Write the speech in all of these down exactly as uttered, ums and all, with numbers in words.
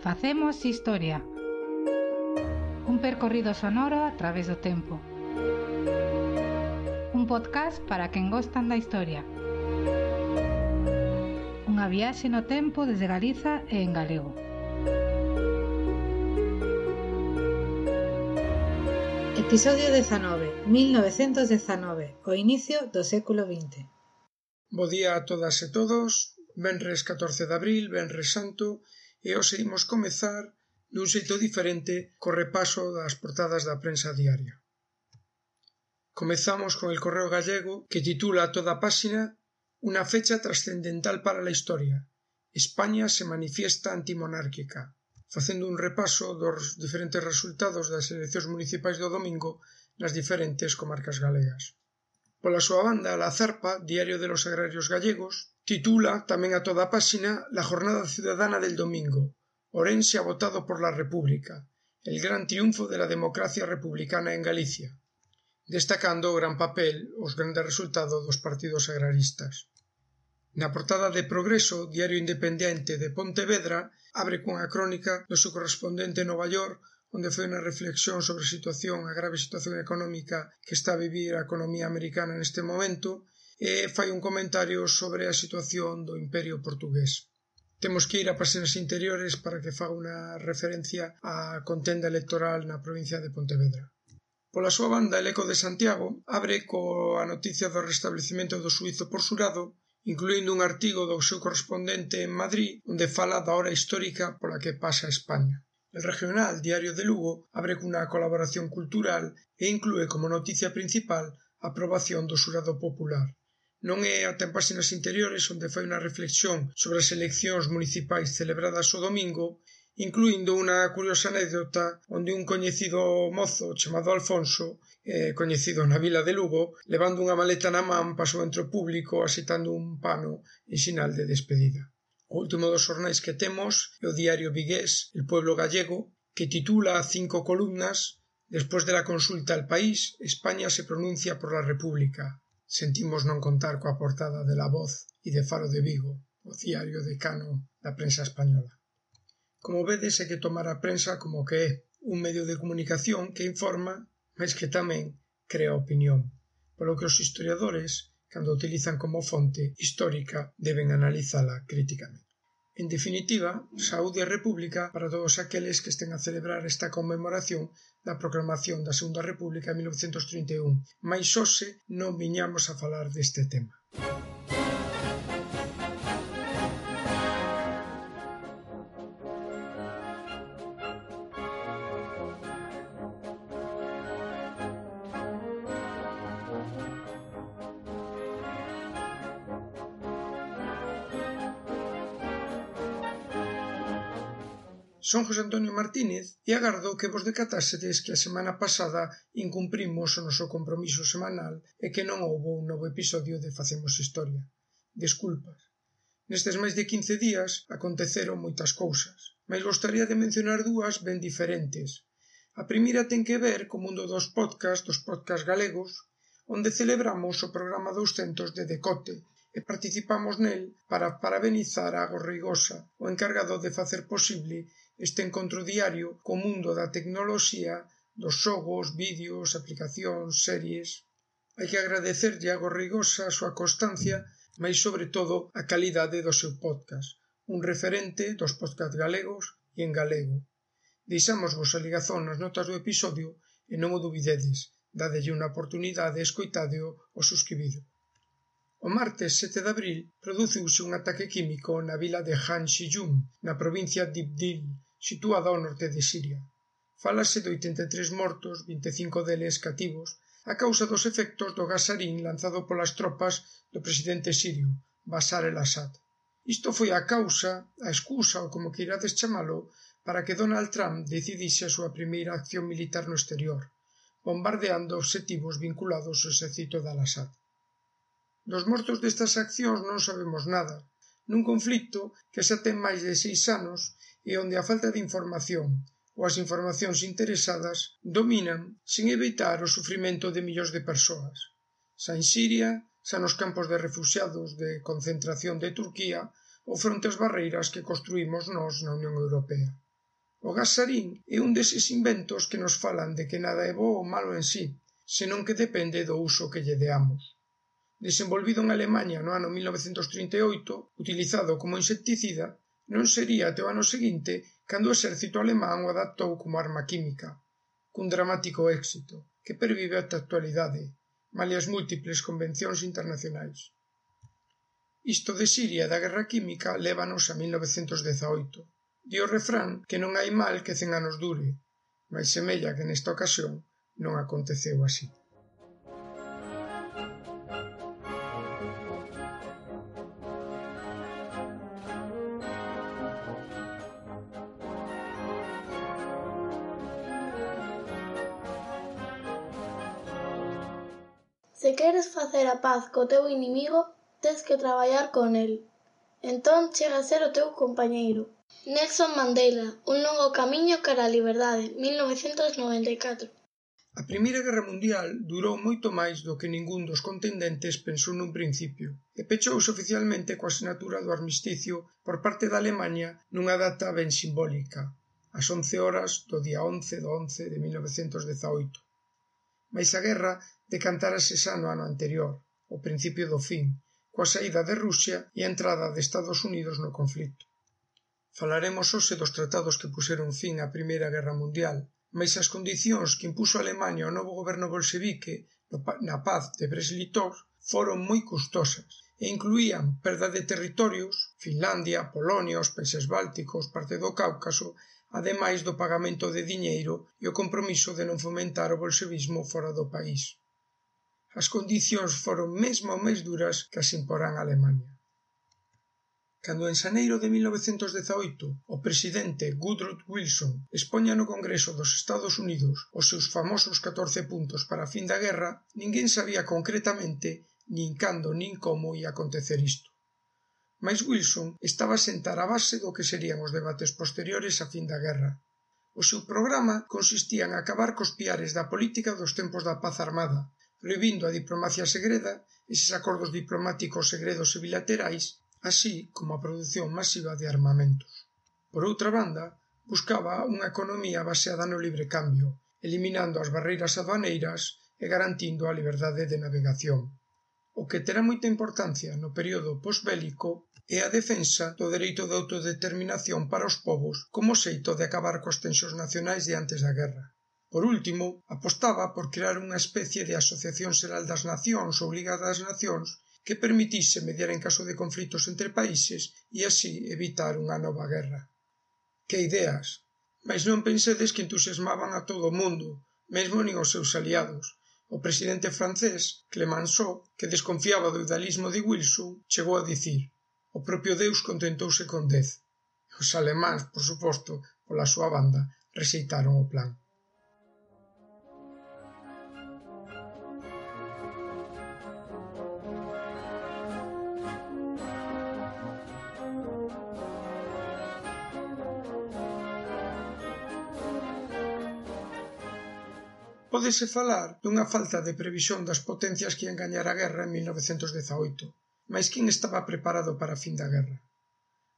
Facemos historia. Un percorrido sonoro a través do tempo. Un podcast para quen gostan da historia. Unha viaxe no tempo desde Galiza e en galego. Episodio dezanove, mil novecentos dezanove, o inicio do século vinte. Bo día a todas e todos, venres catorce de abril, venres santo, e hoxe imos comezar dun xeito diferente co repaso das portadas da prensa diaria. Comezamos con el Correo Gallego, que titula a toda páxina "Una fecha trascendental para la historia. España se manifiesta antimonárquica", facendo un repaso dos diferentes resultados das eleccións municipais do domingo nas diferentes comarcas galegas. Pola súa banda, La Zarpa, Diario de los Agrarios Gallegos, titula tamén a toda páxina "La jornada ciudadana del domingo. Orense ha votado por la República. El gran triunfo de la democracia republicana en Galicia", destacando o gran papel, os grandes resultados dos partidos agraristas. Na portada de Progreso, Diario Independente de Pontevedra, abre cunha crónica do seu correspondente en Nova York, onde foi unha reflexión sobre a situación, a grave situación económica que está a vivir a economía americana neste momento, e fai un comentario sobre a situación do Imperio Portugués. Temos que ir a páxinas interiores para que faga unha referencia á contenda electoral na provincia de Pontevedra. Pola súa banda, El Eco de Santiago abre coa noticia do restablecemento do xuízo por xurado, incluindo un artigo do seu correspondente en Madrid, onde fala da hora histórica pola que pasa España. El Regional, Diario de Lugo, abre cunha colaboración cultural e inclúe como noticia principal a aprobación do xurado popular. Non é ata en páxinas interiores onde fai unha reflexión sobre as eleccións municipais celebradas o domingo, incluindo unha curiosa anécdota onde un coñecido mozo chamado Alfonso, eh, coñecido na vila de Lugo, levando unha maleta na man, pasou entre o público asitando un pano en sinal de despedida. O último dos xornais que temos é o diario vigués El Pueblo Gallego, que titula a cinco columnas "Después de la consulta al país, España se pronuncia por la República". Sentimos non contar coa portada de La Voz e de Faro de Vigo, o diario decano da prensa española. Como vedes, hai que tomar a prensa como que é un medio de comunicación que informa, mas que tamén crea opinión, polo que os historiadores, cando utilizan como fonte histórica, deben analizala críticamente. En definitiva, saúde e república para todos aqueles que estén a celebrar esta conmemoración da proclamación da Segunda República en mil novecentos trinta e un, mais hoxe non viñamos a falar deste tema. Son José Antonio Martínez e agardo que vos decatásedes que a semana pasada incumprimos o noso compromiso semanal e que non houbo un novo episodio de Facemos Historia. Desculpas. Nestes máis de quince días aconteceron moitas cousas, mas gostaría de mencionar dúas ben diferentes. A primeira ten que ver co mundo dos podcast, dos podcast galegos, onde celebramos o programa douscentos de Decote e participamos nel para parabenizar a Agos Reigosa, o encargado de facer posible este encontro diario co mundo da tecnoloxía, dos xogos, vídeos, aplicacións, series. Hai que agradecerlle a Agos Reigosa a súa constancia, mas sobre todo a calidade do seu podcast, un referente dos podcast galegos e en galego. Deixámosvos a ligazón nas notas do episodio e non o dubidedes, dadelle unha oportunidade e escoitádeo o suscribido. O martes sete de abril produciuse un ataque químico na vila de Han Shiyun, na provincia de Ibdil, situada ao norte de Siria. Fálase de oitenta e tres mortos, vinte e cinco deles cativos, a causa dos efectos do gas sarín lanzado polas tropas do presidente sirio, Bashar el-Assad. Isto foi a causa, a excusa ou como queirades chamalo, para que Donald Trump decidise a súa primeira acción militar no exterior, bombardeando obxectivos vinculados ao exército de al-Assad. Dos mortos destas accións non sabemos nada, nun conflicto que xa ten máis de seis anos e onde a falta de información ou as informacións interesadas dominan sen evitar o sufrimento de millóns de persoas, xa en Siria, xa nos campos de refuxiados de concentración de Turquía ou fronte ás barreiras que construímos nós na Unión Europea. O gas sarín é un deses inventos que nos falan de que nada é bo ou malo en sí, senón que depende do uso que lle deamos. Desenvolvido en Alemaña no ano mil novecentos trinta e oito, utilizado como insecticida, non sería até o ano seguinte cando o exército alemán o adaptou como arma química, cun dramático éxito, que pervive ata a actualidade, malia as múltiples convencións internacionais. Isto de Siria e da guerra química lévanos a mil novecentos dezaoito. Di o refrán que non hai mal que cen anos dure, mais semella que nesta ocasión non aconteceu así. Se queres facer a paz co teu inimigo, tes que traballar con el. Entón chega a ser o teu compañeiro. Nelson Mandela, un longo camiño cara á liberdade, mil novecentos noventa e catro. A Primeira Guerra Mundial durou moito máis do que ningún dos contendentes pensou nun principio e pechouse oficialmente coa sinatura do armisticio por parte da Alemaña nunha data ben simbólica, ás once horas do día once do once de mil novecentos dezaoito. Mais a guerra decantárase xa no ano anterior, o principio do fin, coa saída de Rusia e a entrada de Estados Unidos no conflito. Falaremos hoxe dos tratados que puxeron fin á Primeira Guerra Mundial, mais as condicións que impuxo Alemaña ao novo goberno bolchevique na paz de Brest-Litov foron moi custosas e incluían perda de territorios, Finlandia, Polonia, os países bálticos, parte do Cáucaso, ademais do pagamento de diñeiro e o compromiso de non fomentar o bolchevismo fora do país. As condicións foron mesmo máis duras que as imporán a Alemaña. Cando en xaneiro de mil novecentos dezaoito o presidente Woodrow Wilson expoña no Congreso dos Estados Unidos os seus famosos catorce puntos para a fin da guerra, ninguén sabía concretamente nin cando nin como ia acontecer isto. Mais Wilson estaba a sentar a base do que serían os debates posteriores á fin da guerra. O seu programa consistía en acabar cos piares da política dos tempos da paz armada, prohibindo a diplomacia segreda, eses acordos diplomáticos segredos e bilaterais, así como a produción masiva de armamentos. Por outra banda, buscaba unha economía baseada no libre cambio, eliminando as barreiras aduaneiras e garantindo a liberdade de navegación. O que terá moita importancia no período posbélico é a defensa do dereito de autodeterminación para os povos como xeito de acabar coas tensións nacionais de antes da guerra. Por último, apostaba por crear unha especie de Asociación Xeral das Nacións ou Liga das Nacións que permitise mediar en caso de conflitos entre países e así evitar unha nova guerra. Que ideas! Mais non pensedes que entusiasmaban a todo o mundo, mesmo nin os seus aliados. O presidente francés, Clemenceau, que desconfiaba do idealismo de Wilson, chegou a dicir: o propio Deus contentouse con dez. Os alemáns, por suposto, pola súa banda, rexeitaron o plan. Pódese falar dunha falta de previsión das potencias que ian gañar a guerra en mil novecentos dezaoito, mais quen estaba preparado para a fin da guerra?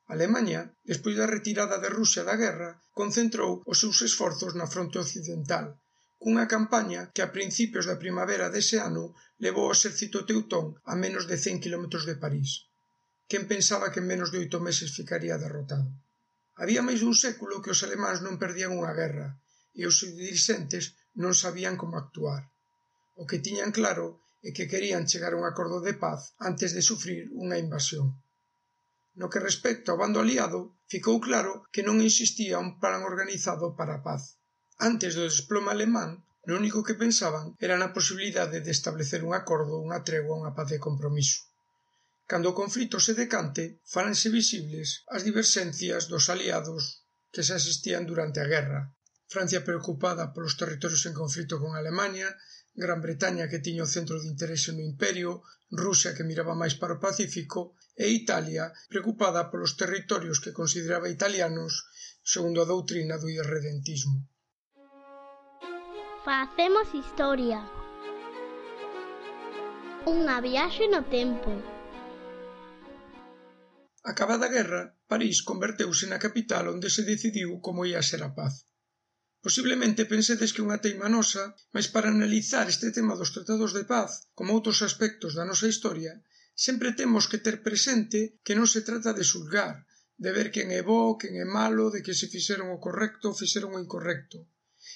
Alemaña, despois da retirada de Rusia da guerra, concentrou os seus esforzos na fronte occidental, cunha campaña que a principios da primavera dese ano levou o exército teutón a menos de cen quilómetros de París. Quen pensaba que en menos de oito meses ficaría derrotado? Había máis dun século que os alemáns non perdían unha guerra, e os seus dirixentes non sabían como actuar. O que tiñan claro é que querían chegar a un acordo de paz antes de sufrir unha invasión. No que respecta ao bando aliado, ficou claro que non existía un plan organizado para a paz. Antes do desplome alemán, o único que pensaban era na posibilidade de establecer un acordo, unha tregua, unha paz de compromiso. Cando o conflito se decante, faranse visibles as diverxencias dos aliados que xa existían durante a guerra. Francia preocupada polos territorios en conflito con Alemaña, Gran Bretaña que tiña o centro de interese no Imperio, Rusia que miraba máis para o Pacífico e Italia preocupada polos territorios que consideraba italianos segundo a doutrina do irredentismo. Facemos historia. Unha viaxe no tempo. Acabada a guerra, París converteuse na capital onde se decidiu como ia ser a paz. Posiblemente pensedes que unha teima nosa, mas para analizar este tema dos tratados de paz, como outros aspectos da nosa historia, sempre temos que ter presente que non se trata de xulgar, de ver quen é bo, quen é malo, de que se fixeron o correcto ou fixeron o incorrecto,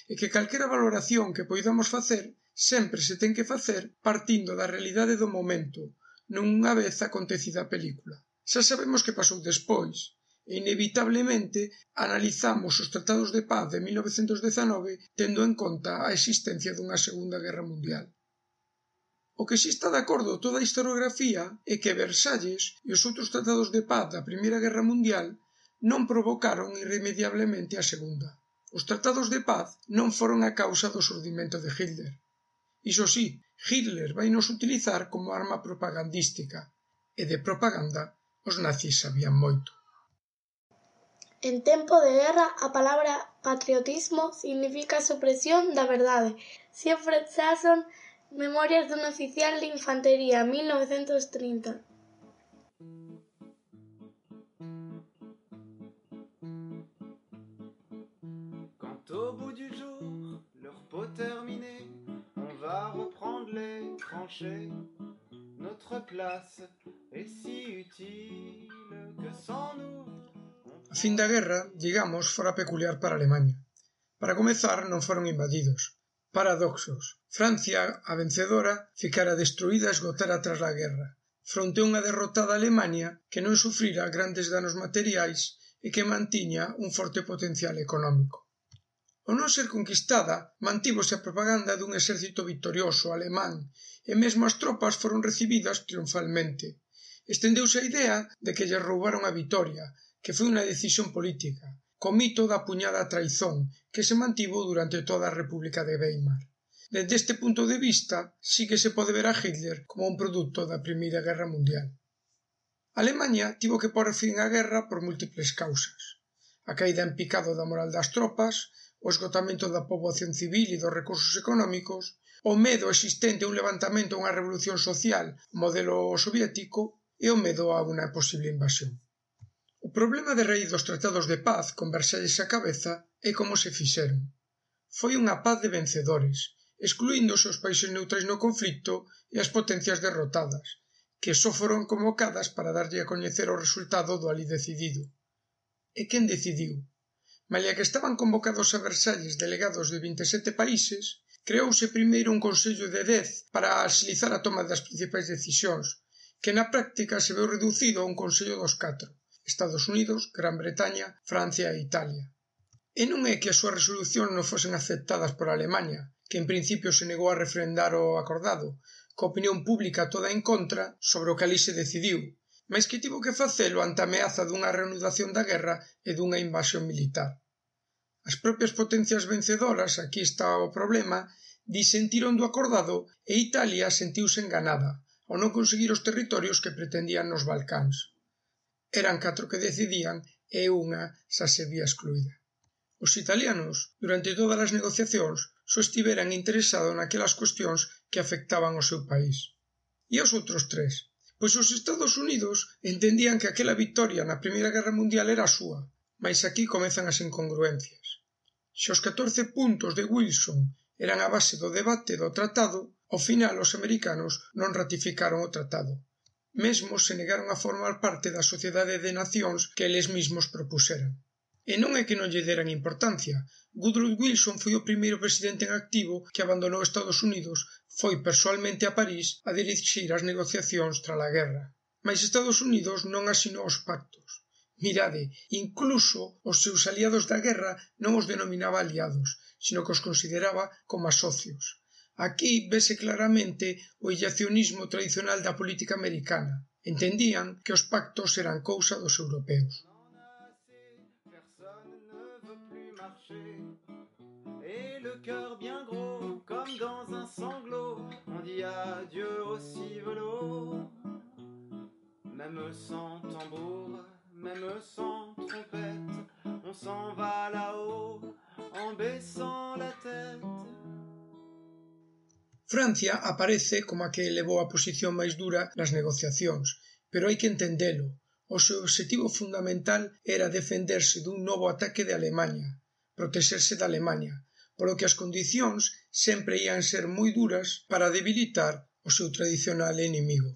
e que calquera valoración que poidamos facer sempre se ten que facer partindo da realidade do momento, non unha vez acontecida a película. Xa sabemos que pasou despois, e inevitablemente analizamos os tratados de paz de mil novecentos dezanove tendo en conta a existencia dunha Segunda Guerra Mundial. O que si está de acordo toda a historiografía é que Versalles e os outros tratados de paz da Primeira Guerra Mundial non provocaron irremediablemente a Segunda. Os tratados de paz non foron a causa do xurdimento de Hitler. Iso sí, Hitler vai nos utilizar como arma propagandística, e de propaganda os nazis sabían moito. En tempo de guerra, a palabra patriotismo significa supresión da verdade. Siegfried Sassoon, Memorias dun oficial de infantería, mil novecentos trinta. Quand au bout du jour, le repos terminé, on va reprendre les tranchées. Notre place est si utile que sans nous... A fin da guerra, digamos, fora peculiar para Alemaña. Para comezar, non foron invadidos. Paradoxos. Francia, a vencedora, ficara destruída e esgotara tras a guerra, fronte a unha derrotada Alemaña que non sufrira grandes danos materiais e que mantiña un forte potencial económico. Ao non ser conquistada, mantívose a propaganda dun exército victorioso alemán e mesmo as tropas foron recibidas triunfalmente. Estendeuse a idea de que lle roubaron a vitoria, que foi unha decisión política, co mito da puñada traizón, que se mantivo durante toda a República de Weimar. Dende este punto de vista, sí que se pode ver a Hitler como un produto da Primeira Guerra Mundial. Alemanha tivo que pôr fin á guerra por múltiples causas. A caída en picado da moral das tropas, o esgotamento da poboación civil e dos recursos económicos, o medo existente a un levantamento a unha revolución social modelo soviético e o medo a unha posible invasión. O problema de raíz dos tratados de paz con Versalles á cabeza é como se fixeron. Foi unha paz de vencedores, excluíndose os países neutrais no conflicto e as potencias derrotadas, que só foron convocadas para darlle a coñecer o resultado do alí decidido. E quen decidiu? Malia que estaban convocados a Versalles delegados de vinte e sete países, creouse primeiro un Consello de dez para axilizar a toma das principais decisións, que na práctica se veu reducido a un Consello dos catro, Estados Unidos, Gran Bretaña, Francia e Italia. E non é que as súas resolucións non fosen aceptadas por Alemaña, que en principio se negou a refrendar o acordado, coa opinión pública toda en contra sobre o que ali se decidiu, mas que tivo que facelo ante a ameaza dunha reanudación da guerra e dunha invasión militar. As propias potencias vencedoras, aquí está o problema, disentiron do acordado e Italia sentiuse enganada, ao non conseguir os territorios que pretendían nos Balcáns. Eran catro que decidían e unha xa se vía excluída. Os italianos, durante todas as negociacións, só estiveran interesados naquelas cuestións que afectaban ao seu país. E os outros tres? Pois os Estados Unidos entendían que aquela victoria na Primeira Guerra Mundial era a súa, mas aquí comezan as incongruencias. Se os catorce puntos de Wilson eran a base do debate do tratado, ao final os americanos non ratificaron o tratado. Mesmo se negaron a formar parte da Sociedade de Nacións que eles mesmos propuseran. E non é que non lle deran importancia. Woodrow Wilson foi o primeiro presidente en activo que abandonou Estados Unidos, foi persoalmente a París a dirixir as negociacións tras a guerra. Mas Estados Unidos non asinou os pactos. Mirade, incluso os seus aliados da guerra non os denominaba aliados, sino que os consideraba como a socios. Aquí vese claramente o illacionismo tradicional da política americana. Entendían que os pactos eran cousa dos europeos. Et le cœur bien gros, comme dans un sanglot, on dit adieu au civelot. Même sans tambour, même sans trompette, on s'en va là-haut, en baissant la tête. Francia aparece como a que levou a posición máis dura nas negociacións, pero hai que entendelo. o seu obxectivo fundamental era defenderse dun novo ataque de Alemaña, protexerse da Alemaña, polo que as condicións sempre ían ser moi duras para debilitar o seu tradicional inimigo.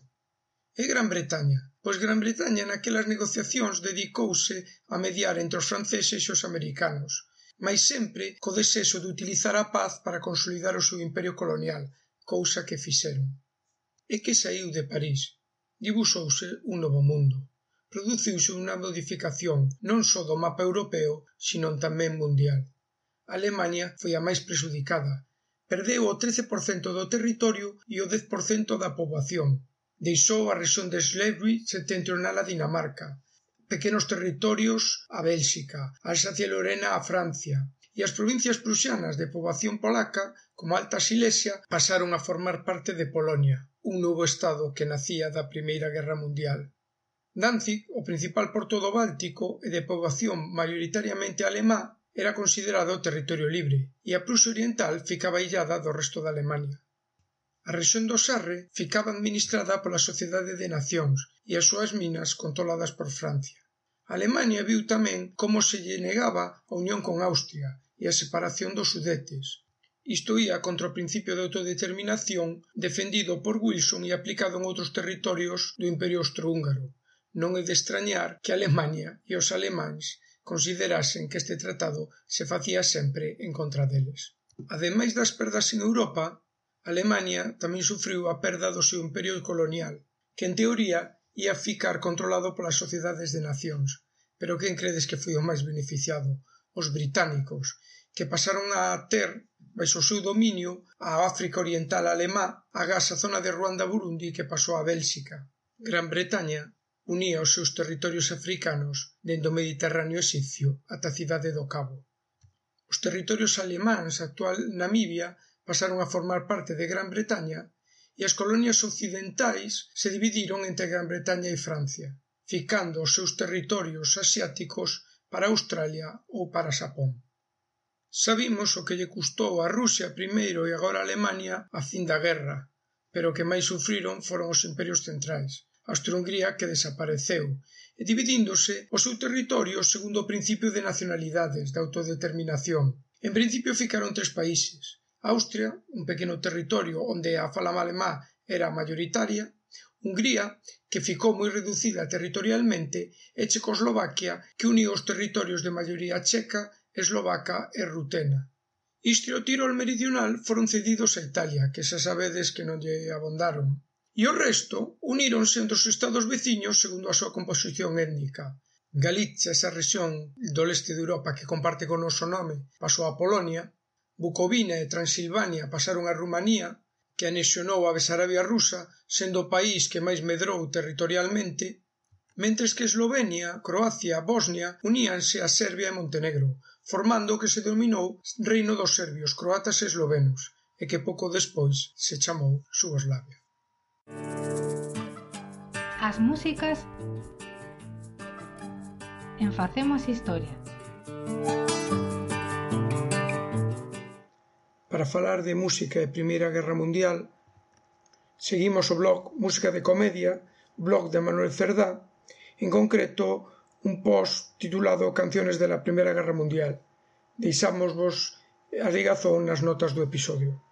E Gran Bretaña? Pois Gran Bretaña naquelas negociacións dedicouse a mediar entre os franceses e os americanos, mais sempre co desexo de utilizar a paz para consolidar o seu imperio colonial, cousa que fixeron. E que saiu de París? Dibuxouse un novo mundo. Produciuse unha modificación non só do mapa europeo, sino tamén mundial. Alemaña foi a máis prexudicada. Perdeu o trece por cento do territorio e o dez por cento da poboación. Deixou a rexión de Schleswig setentrional a Dinamarca, pequenos territorios a Bélxica, Alsacia-Lorena a Francia, e as provincias prusianas de poboación polaca, como Alta Silesia, pasaron a formar parte de Polonia, un novo estado que nacía da Primeira Guerra Mundial. Danzig, o principal porto do Báltico e de poboación maioritariamente alemá, era considerado territorio libre, e a Prusia Oriental ficaba illada do resto da Alemania. A rexión do Sarre ficaba administrada pola Sociedade de Nacións e as súas minas controladas por Francia. A Alemania viu tamén como se lle negaba a unión con Austria e a separación dos Sudetes. Isto ía contra o principio de autodeterminación defendido por Wilson e aplicado en outros territorios do Imperio Austrohúngaro. Non é de extrañar que a Alemania e os alemáns considerasen que este tratado se facía sempre en contra deles. Ademais das perdas en Europa, Alemania tamén sufriu a perda do seu imperio colonial, que en teoría ia ficar controlado polas sociedades de nacións. Pero quen credes que foi o máis beneficiado? Os británicos, que pasaron a ter, baixo o seu dominio, a África Oriental alemá, agás a zona de Ruanda-Burundi que pasou a Bélxica. Gran Bretaña unía os seus territorios africanos dende o Mediterráneo exipcio ata a cidade do Cabo. Os territorios alemáns, actual Namibia, pasaron a formar parte de Gran Bretaña e as colonias occidentais se dividiron entre Gran Bretaña e Francia, ficando os seus territorios asiáticos para Australia ou para Xapón. Sabimos o que lle custou a Rusia primeiro e agora a Alemania a fin da guerra, pero o que máis sufriron foron os imperios centrais, a Austria-Hungría que desapareceu, e dividíndose o seu territorio segundo o principio de nacionalidades, de autodeterminación. En principio ficaron tres países: Austria, un pequeno territorio onde a fala alemá era mayoritaria, Hungría, que ficou moi reducida territorialmente, e Checoslovaquia, que uniu os territorios de maioría checa, eslovaca e rutena. Istria e o Tirol meridional foron cedidos a Italia, que xa sabedes que non lle abondaron. E o resto uníronse entre os estados veciños segundo a súa composición étnica. Galicia, esa rexión do leste de Europa que comparte con o noso nome, pasou a Polonia. Bucovina e Transilvania pasaron a Rumanía, que anexionou a Besarabia rusa, sendo o país que máis medrou territorialmente, mentres que Eslovenia, Croacia e Bosnia uníanse a Serbia e Montenegro, formando o que se denominou Reino dos Serbios, Croatas e Eslovenos, e que pouco despois se chamou Xugoslavia. As músicas en Facemos Historia. Para falar de música e Primeira Guerra Mundial, seguimos o blog Música de Comedia, blog de Manuel Cerdá, en concreto un post titulado Canciones de la Primeira Guerra Mundial. Deixámosvos a ligazón nas notas do episodio.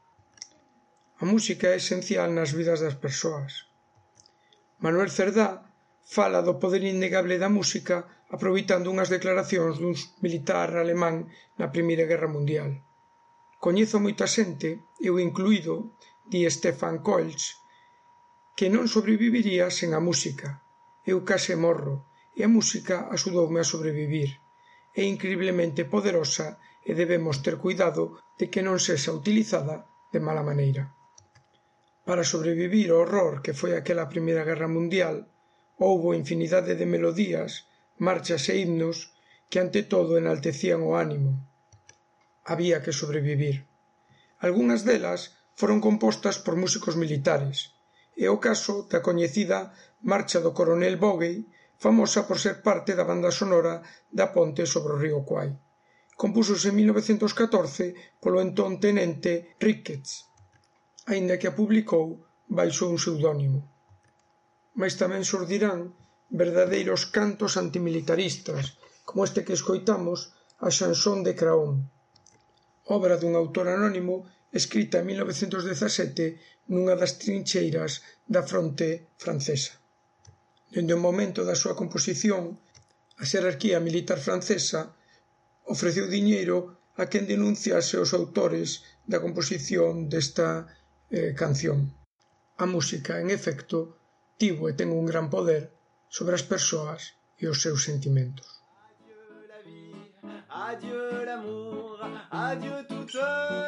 A música é esencial nas vidas das persoas. Manuel Cerdá fala do poder innegable da música aproveitando unhas declaracións dun militar alemán na Primeira Guerra Mundial. Coñezo moita xente, eu incluído, di Stefan Koelsch, que non sobreviviría sen a música. Eu case morro, e a música axudoume a sobrevivir. É increíblemente poderosa e debemos ter cuidado de que non sexa utilizada de mala maneira. Para sobrevivir ao horror que foi aquela Primeira Guerra Mundial, houbo infinidade de melodías, marchas e himnos que ante todo enaltecían o ánimo. Había que sobrevivir. Algúnas delas foron compostas por músicos militares, e o caso da coñecida Marcha do Coronel Bogey, famosa por ser parte da banda sonora da ponte sobre o río Kwai. Compúxose en mil novecentos catorce polo entón tenente Ricketts, aínda que a publicou baixo un pseudónimo. Mais tamén xurdirán verdadeiros cantos antimilitaristas, como este que escoitamos, a Chanson de Craon, obra dun autor anónimo escrita en mil novecentos dezasete nunha das trincheiras da fronte francesa. Dende o momento da súa composición, a xerarquía militar francesa ofreceu diñeiro a quen denunciase os autores da composición desta eh, canción. A música, en efecto, tivo e ten un gran poder sobre as persoas e os seus sentimentos. Adieu l'amour, adieu toutes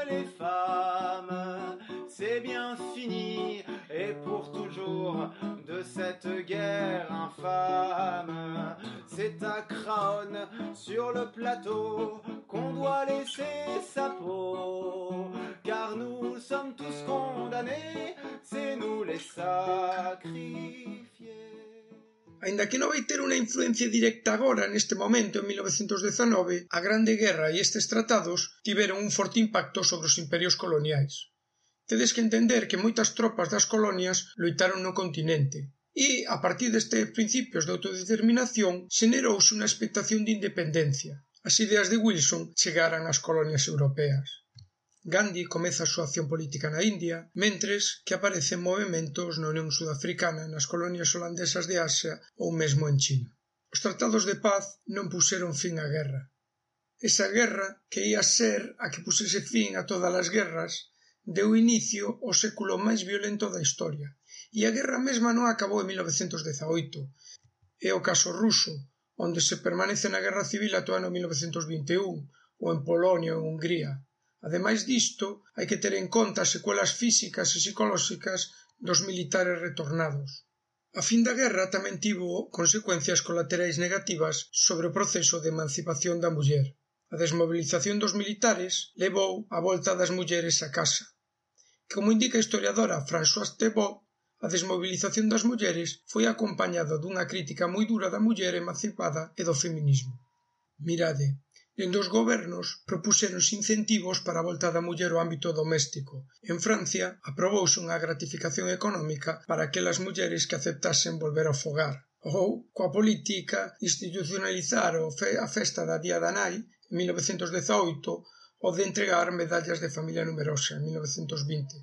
les femmes, c'est bien fini et pour toujours de cette guerre infâme. C'est à Craonne sur le plateau qu'on doit laisser sa peau, car nous sommes tous condamnés, c'est nous les sacrifiés. Aínda que non vai ter unha influencia directa agora, neste momento, en mil novecentos dezanove, a Grande Guerra e estes tratados tiveron un forte impacto sobre os imperios coloniais. Tedes que entender que moitas tropas das colonias loitaron no continente, e, a partir destes principios de autodeterminación, xenerouse unha expectación de independencia. As ideas de Wilson chegaran ás colonias europeas. Gandhi comeza a súa acción política na India, mentres que aparecen movementos na Unión Sudafricana, nas colonias holandesas de Asia ou mesmo en China. Os tratados de paz non puxeron fin á guerra. Esa guerra, que ia ser a que pusese fin a todas as guerras, deu inicio ao século máis violento da historia, e a guerra mesma non acabou en mil novecentos dezaoito. É o caso ruso, onde se permanece na guerra civil ata o ano mil novecentos vinte e un, ou en Polonia ou en Hungría. Ademais disto, hai que ter en conta as secuelas físicas e psicolóxicas dos militares retornados. A fin da guerra tamén tivo consecuencias colaterais negativas sobre o proceso de emancipación da muller. A desmobilización dos militares levou a volta das mulleres a casa. Como indica a historiadora Françoise Thébault, a desmobilización das mulleres foi acompañada dunha crítica moi dura da muller emancipada e do feminismo. Mirade, dende os gobernos propuxéronse incentivos para a volta da muller ao ámbito doméstico. En Francia, aprobouse unha gratificación económica para aquelas mulleres que aceptasen volver ao fogar. Ou, coa política, institucionalizar a festa da Día da Nai, en mil novecentos dezaoito, ou de entregar medallas de familia numerosa, en mil novecentos vinte.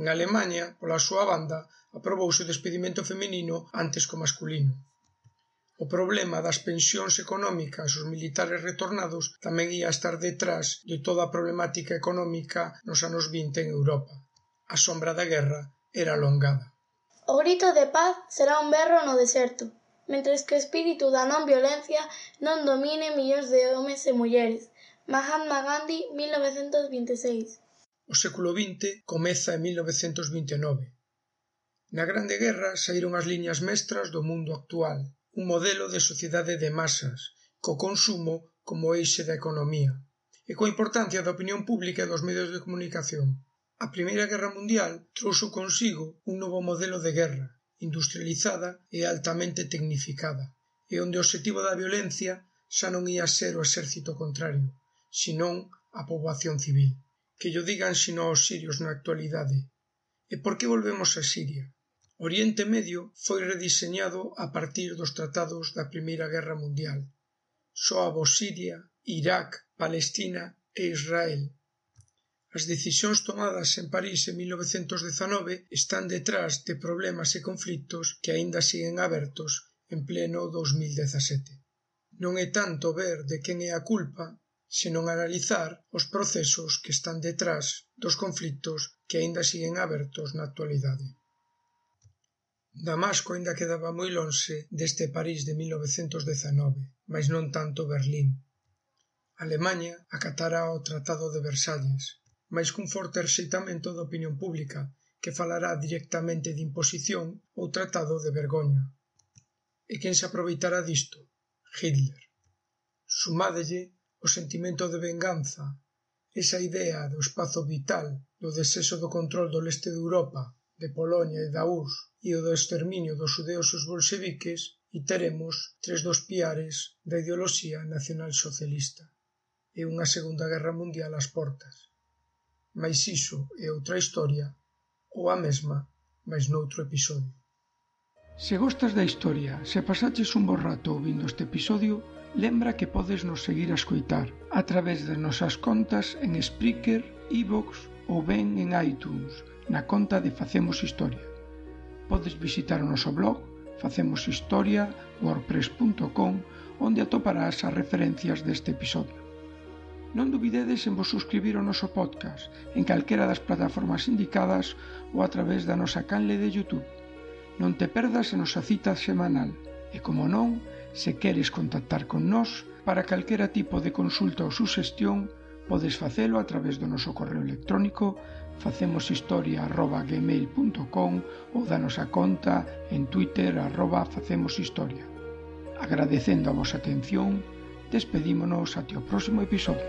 En Alemanha, pola súa banda, aprobouse o despedimento feminino antes que o masculino. O problema das pensións económicas aos militares retornados tamén ia estar detrás de toda a problemática económica nos anos vinte en Europa. A sombra da guerra era alongada. O grito de paz será un berro no deserto, mentres que o espírito da non violencia non domine millóns de homes e mulleres. Mahatma Gandhi, mil novecentos vinte e seis. O século vinte comeza en mil novecentos vinte e nove. Na Grande Guerra saíron as liñas mestras do mundo actual, un modelo de sociedade de masas, co consumo como eixe da economía, e coa importancia da opinión pública e dos medios de comunicación. A Primeira Guerra Mundial trouxo consigo un novo modelo de guerra, industrializada e altamente tecnificada, e onde o obxectivo da violencia xa non ia ser o exército contrario, senón a poboación civil. Que llo digan sino aos sirios na actualidade. E por que volvemos a Siria? Oriente Medio foi rediseñado a partir dos tratados da Primeira Guerra Mundial. Só abo Siria, Irak, Palestina e Israel. As decisións tomadas en París en mil novecentos dezanove están detrás de problemas e conflitos que aínda siguen abertos en pleno dos mil dezasete. Non é tanto ver de quen é a culpa, senón analizar os procesos que están detrás dos conflitos que aínda siguen abertos na actualidade. Damasco aínda quedaba moi lonxe deste París de mil novecentos dezanove, mais non tanto Berlín. Alemanha acatará o Tratado de Versalles, mais cun forte rexeitamento da opinión pública, que falará directamente de imposición ou tratado de vergoña. E quen se aproveitará disto? Hitler. Sumádelle o sentimento de venganza, esa idea do espazo vital, do desexo do control do leste de Europa, de Polonia e da U R S S, e o do exterminio dos xudeos e os bolxeviques, e teremos tres dos piares da ideoloxía nacionalsocialista e unha segunda guerra mundial ás portas. Mais iso é outra historia, ou a mesma, mais noutro episodio. Se gostas da historia, se pasaches un bo rato ouvindo este episodio, lembra que podes nos seguir a escoitar a través das nosas contas en Spreaker, iVoox ou ben en iTunes, na conta de Facemos Historia. Podes visitar o noso blog facemos historia punto wordpress punto com, onde atoparás as referencias deste episodio. Non dubidedes en vos suscribir ao noso podcast en calquera das plataformas indicadas ou a través da nosa canle de YouTube. Non te perdas a nosa cita semanal e, como non, se queres contactar con nós para calquera tipo de consulta ou suxestión, podes facelo a través do noso correo electrónico facemoshistoria arroba gmail punto com ou da nosa conta en Twitter arroba facemoshistoria. Agradecendo a vosa atención, despedímonos até o próximo episodio.